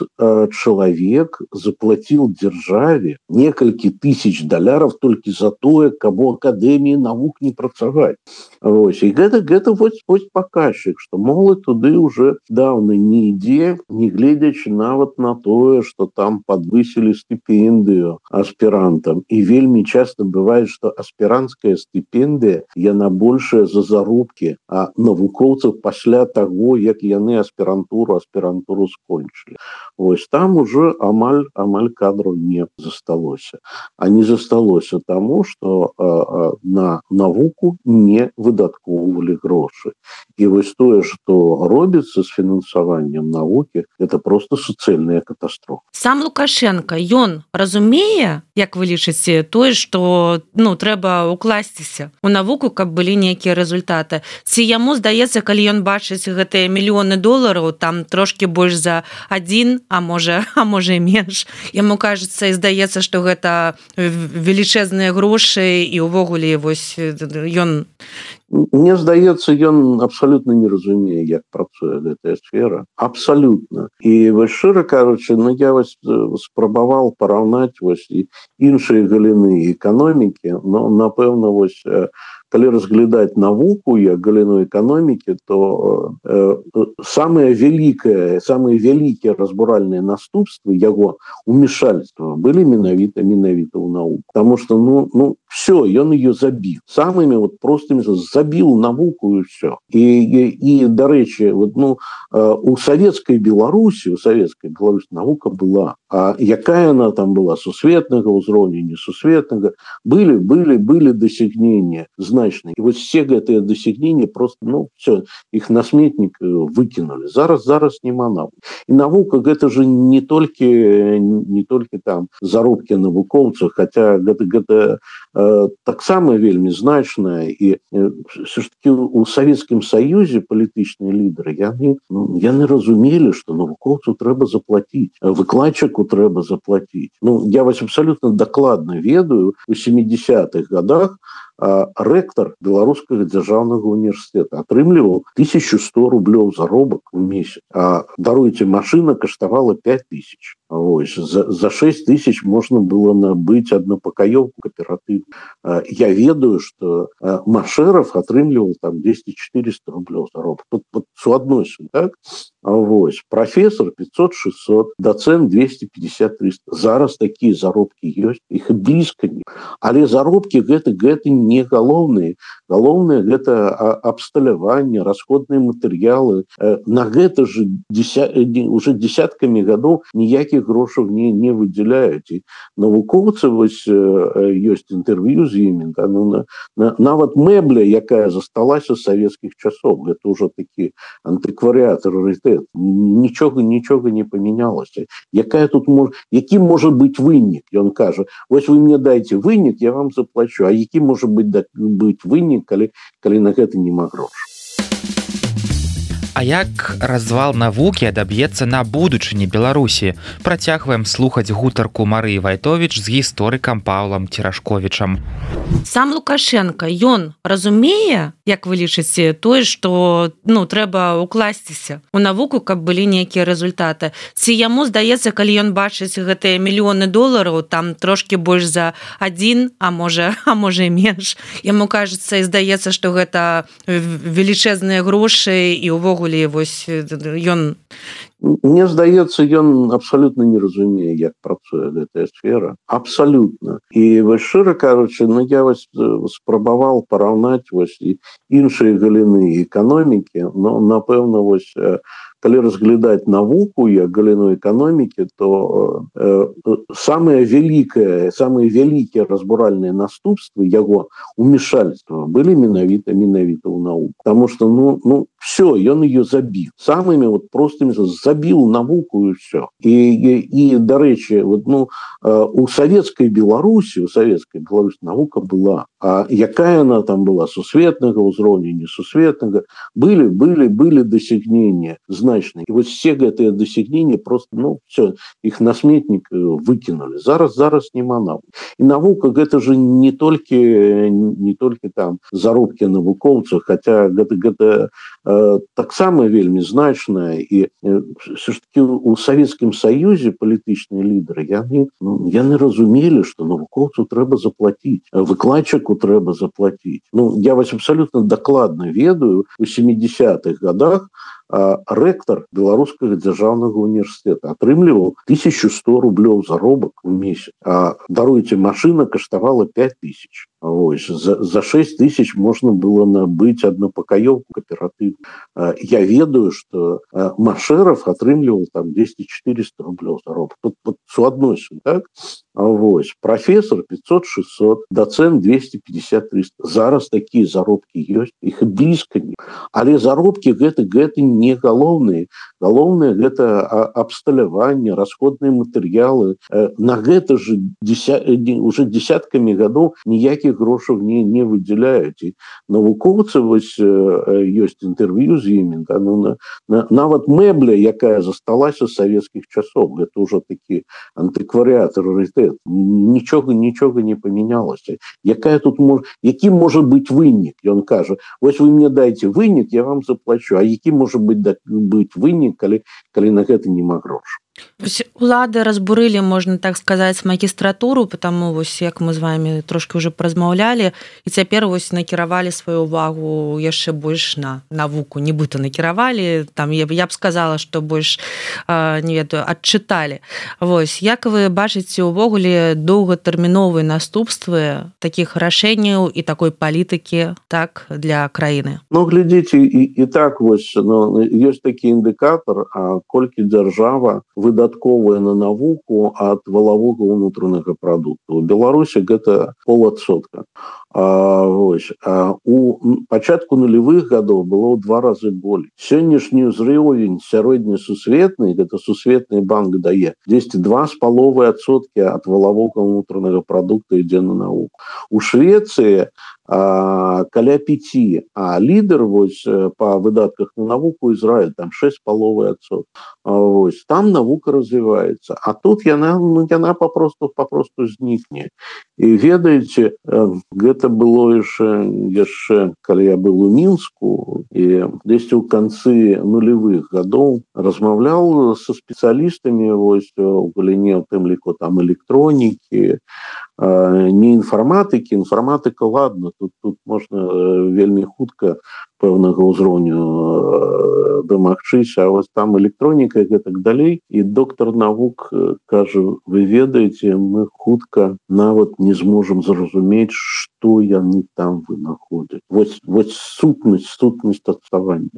чалавек заплаціў дзяржаве некалькі тысяч доляраў толькі за тое, каб у Акадэміі навук не працаваць. І гэта паказчык, што моладзь туды уже даўна не ідзе, не гледзячы нават на тое, што там падвысілі стыпендыю аспірантам. І вельмі часта бывае, што аспіранцкая стыпендыя, яна большая за заробкі навукоўцаў пасля таго, як яны аспірантуру скончылі. Там уже амаль кадраў не засталося. А не засталося таму, што на навуку не выдаткоўвалі грошы. І тое, што робіцца з фінансаваннем навукі, это просто суцэльная катастрофа. Сам Лукашенко, ён разумее, як вы лічыце, тое, што трэба укласціся у навуку, каб былі нейкія рэзультаты. Ці яму здаецца, калі ён бачыць гэтыя мільёны долараў, там трошки больш за один, а можа і менш. Яму кажется і здаецца, што гэта велічэзныя грошы і ўвогуле ён... Мне здаецца, ён абсолютно не разумее, як працуе гэтая сфера. Абсолютно. І шчыра кажучы, я спрабаваў параўнаць іншыя галіны эканомікі, напэўна, калі разглядаць навуку як галіну эканомікі, то самыя вялікія разбуральныя наступствы яго умешальства былі менавіта ў навуку. Таму што, все, ён ее забіў. Самымі простымі забіў навуку і все. І дарэчы, у савецкай Беларусі навука была. А якая она там была? Сусветнага ўзроўня, несусветнага? Былі дасягнення значныя. І все гэтыя дасягнення просто, все, іх на сметнік выкінули. Зараз няма навукі. І навука гэта же не толькі там заробкі навукоўцаў, хаця гэта таксама вельмі значная. І все ж таки у Савецкім Саюзе палітычныя лідары яны разумелі, што навукоўцу трэба заплаціць, выкладчыку трэба заплаціць. Я абсолютно дакладна ведаю, у 70-х годах рэктар Беларускага дзяржаўнага універсітэта атрымліваў 1100 рублёў заробак у месяц. А даруйце, машына каштавала 5000. Вось, за 6 тысяч можно было набыть однопакаёвку кооператив. Я ведаю, что Машеров отрымливал там 200-400 рублей заробок. Вот суадносін, так? Вось, профессор 500-600, доцент 250-300. Зараз такие заробки есть, их и близко не. Але заробки гэта не галоўныя. Галоўнае гэта абсталяванне, расходные материалы. На гэта же уже десятками годов никаких грошей не выделяют. И навукоўцы вось есть интервью с ними. Да, ну, нават мэбля, якая засталася з советских часов, это уже такие антиквариат, раритет. Ничего не поменялось. Який може бути винник? І він каже, ось ви мені дайте винник, я вам заплачу. А який може бути винник, коли на гэта нема грошей? А як развал навукі адаб'ецца на будучыні Беларусі? Працягваем слухаць гутарку Марыі Вайтовіч з гісторыкам Паўлам Церашковічам. Сам Лукашенко, ён разумее, як вы лічыце, тое, што трэба ўкласціся у навуку, каб былі нейкія рэзультаты. Ці яму здаецца, калі ён бачыць гэтыя мільёны долараў, там трошкі больш за 1, а можа і менш. Яму кажется і здаецца, што гэта велічэзныя грошы і ўвогуле вось ён... Мне здаецца, ён абсолютно не разумее, як працуе гэтая сфера. Абсолютно. І вось шчыра кажучы, я вось спрабаваў параўнаць вось іншыя галіны эканомікі, но напэўна вось калі разглядаць навуку як галіну эканомікі, то самыя вялікія разбуральныя наступствы яго умешальства былі менавіта ў науку. Потому что все, ён ее забіў. Самымі простымі забіў навуку і все. І дарэчы, у савецкай Беларусі навука была. А якая она там была, сусветнага ўзроўня, несусветнага, были досягнения значные. И вот все гэтыя досягнения просто, все, их на сметнік выкинули. Зараз нема навуки. И наука гэта же не только там заробки навукоўцаў, хотя гэта таксама вельмі значная. И все ж таки у Советском Союзе палітычныя лідары яны разумели, что навукоўцу трэба заплатить, выкладчику трэба заплатить. Я вас абсолютно докладно ведаю, у 70-х годах рэктор Беларускага дзяржаўнага універсітэта атрымліваў 1100 рублёў заробак у месяц. А даруйте, машина каштавала 5000. Вось, за 6 тысяч можно было набыть однопакаёвку кооператив. Я ведаю, что Машеров атрымліваў там 200-400 рублёў заробак. Тут суадносін, так? Вось, профессор 500-600, доцент 250-300. Зараз такие заробки есть, их и близко не. Але заробки гэта не галоўныя. Галоўнае гэта абсталяванне, расходные материалы. На гэта же уже десятками годов никаких грошей не выделяют. И навукоўцы вось есть интервью с ними. Да, нават мэбля, якая засталася з советских часов, это уже такие антиквариат, раритет. Ничего не поменялось. Який може бути винник? І він каже, ось ви мені дайте винник, я вам заплачу. А який може бути винник, коли на гэта нема грошей? Улады разбурылі, можна так сказаць, магістратуру, потому вось як мы з вами трошки уже паразмаўлялі, і цяпер вось накіравалі сваю увагу яшчэ больш на навуку, нібыта накіравалі, там я б сказала, што больш не ведаю, адчыталі. Вось як вы бачыце увогуле доўгатэрміновыя наступствы такіх рашэнняў і такой палітыкі, так, для краіны? Глядзіце, і так вось, ёсць такі індыкатар, колькі дзяржава выдатковая на навуку ад валавога ўнутранага прадукту. У Беларусі гэта 0,5%. У пачатку нулевых годов было ў 2 разы болей. Сённяшні ўзровень сярэднесусветны, гэта сусветны банк дае, 2,5% ад валавога ўнутранага прадукта ідзе на навуку. У Швецыі каля 5, а лідер вось по выдатках на навуку Израиль там 6,5%. Вось там навука развивается, а тут яна попросту знікне. І ведаеце, гэта гэта было яшчэ калі я был у Мінску і дзесьці ў канцы нулевых гадоў размаўляў со спецыялістамі вось у галіне у тым ліку там электронікі, не інфарматыка ладно, тут можна вельмі хутка пэўнага ўзроўню дамагчыся, а вось там электроніка і гэтак далей. І доктар навук кажа, вы ведаеце, мы хутка нават не зможам зразумець, што яны там вынаходзяць. Вось сутнасць адставання.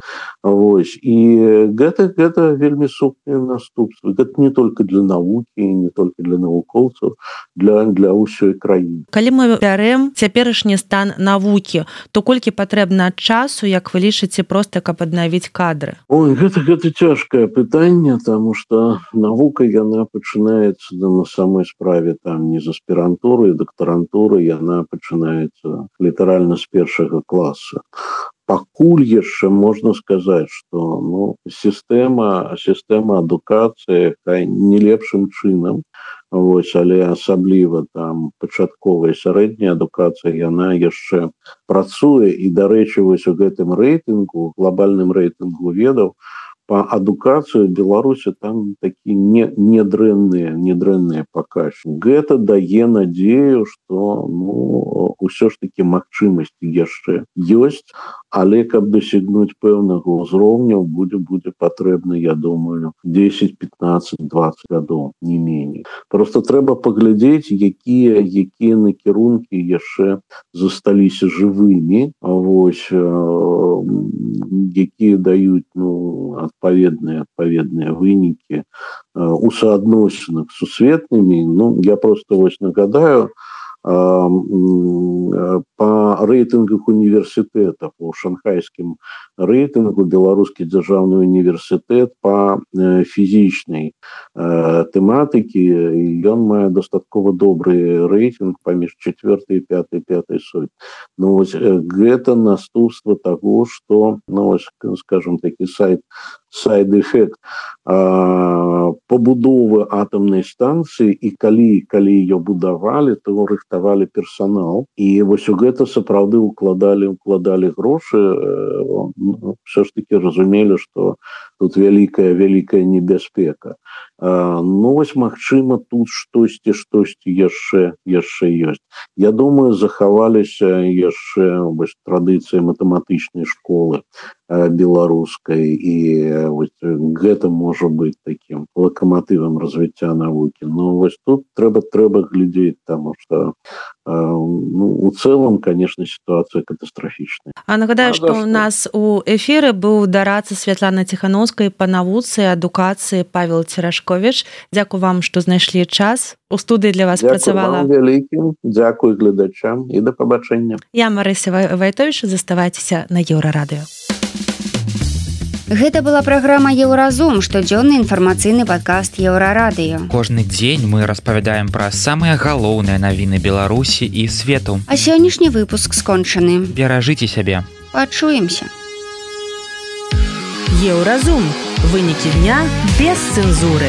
Вось. І гэта вельмі сумныя наступствы. Гэта не толькі для навукі, не толькі для навукоўцаў, для ўсёй краіны. Калі мы бярэм цяперашні стан навукі, то колькі патрэбна часу, як вы лічыце, проста каб аднавіць кадры? Ой, гэта цяжкае пытанне, таму што навука яна пачынаецца на самой справе там не з аспірантуры і дактарантуры, яна пачынаецца літаральна з першага класа. Пакуль яшчэ можна сказаць, што сістэма адукацыі не лепшым чынам, вось, але асабліва там пачатковая сярэдняя адукацыя, яна яшчэ працуе. І, дарэчы, вось у гэтым рэйтынгу, глобальным рэйтынгу ведаў, по адукацыю Беларусі там такі недрэнныя паказчыкі. Гэта дае надзею, што ўсё ж такі магчымасці яшчэ ёсць, але каб дасягнуць пэўнага ўзроўня будзе патрэбна, я думаю, 10, 15, 20 гадоў, не меней. Просто трэба паглядзець, якія накірункі яшчэ засталіся жывымі, вось, якія даюць адпаведныя вынікі у суадносінах з сусветнымі. Я просто вось нагадаю, по рэйтынгах універсітэтаў, у шанхайскім рэйтынгу беларускі дзяржаўны універсітэт по фізічнай тэматыкі, ён мае дастаткова добры рэйтынг паміж 4 і 5 сотні. Вось гэта наступства таго, што, скажем такі сайд-эфект пабудовы атамнай станцыі, і калі ее будавалі, то рыхтавалі персанал, і вось у гэта сапраўды укладалі грошы, все ж таки разумелі, што тут вялікая небяспека. Вось магчыма тут штосьці яшчэ ёсць. Я думаю, захаваліся яшчэ традыцыі матэматычнай школы беларускай, і гэта можа быць таким локомотивом развіцця навукі. Вось тут трэба глядзець, таму што у цэлым, конечно, ситуация катастрофічная. А нагадаю, што у нас у эфіры быў дараца Святлана Ціхановскай па навуцы, адукацыі Павел Церашковіч. Дзякую вам, што знайшлі час. У студыі для вас працавала. Дзякую вам вялікім, дзякую гледачам і да пабачэння. Я Марыся Вайтовіч, заставайцеся на Еўрарадыё. Гэта была праграма «Еўразум», штодзённы інфармацыйны падкаст Еўрарадыё. Кожны дзень мы распавядаем пра самыя галоўныя навіны Беларусі і свету. А сённяшні выпуск скончаны. Беражыце сябе. Пачуемся. Еўразум. Вынікі дня без цэнзуры.